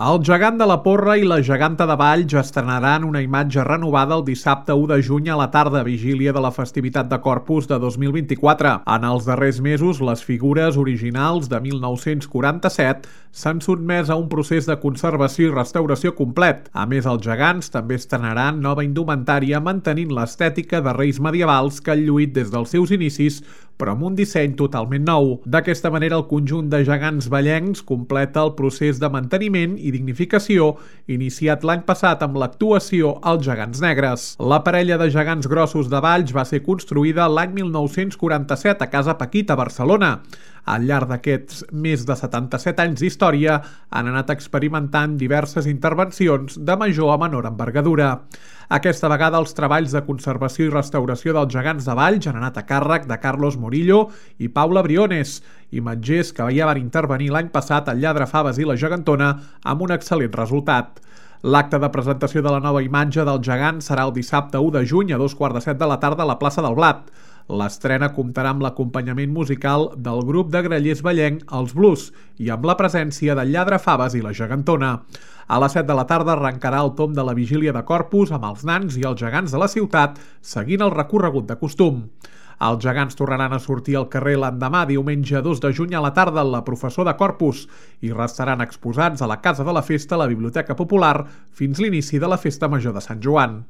El gegant de la Porra i la geganta de Valls estrenaran una imatge renovada el dissabte 1 de juny a la tarda, vigília de la festivitat de Corpus de 2024. En els darrers mesos, les figures originals de 1947 s'han sotmès a un procés de conservació i restauració complet. A més, els gegants també estrenaran nova indumentària mantenint l'estètica de reis medievals que han lluït des dels seus inicis, però amb un disseny totalment nou. D'aquesta manera, el conjunt de gegants vallencs completa el procés de manteniment i dignificació iniciat l'any passat amb l'actuació Els Gegants Negres. La parella de gegants grossos de Valls va ser construïda l'any 1947 a Casa Paquita, a Barcelona. Al llarg d'aquests més de 77 anys d'història han anat experimentant diverses intervencions de major a menor envergadura. Aquesta vegada els treballs de conservació i restauració dels gegants de Valls han anat a càrrec de Carlos Morillo i Paula Briones, imatgers que ja van intervenir l'any passat al Lladre Faves i la Gegantona amb un excel·lent resultat. L'acte de presentació de la nova imatge del gegant serà el dissabte 1 de juny a 2:15 de la tarda a la plaça del Blat. L'estrena comptarà amb l'acompanyament musical del grup de grallers vallenc Els Blues i amb la presència del Lladre Faves i la Gegantona. A les 7 de la tarda arrencarà el tomb de la vigília de Corpus amb els nans i els gegants de la ciutat seguint el recorregut de costum. Els gegants tornaran a sortir al carrer l'endemà, diumenge 2 de juny a la tarda, en la Professó de Corpus i restaran exposats a la Casa de la Festa, a la Biblioteca Popular, fins l'inici de la Festa Major de Sant Joan.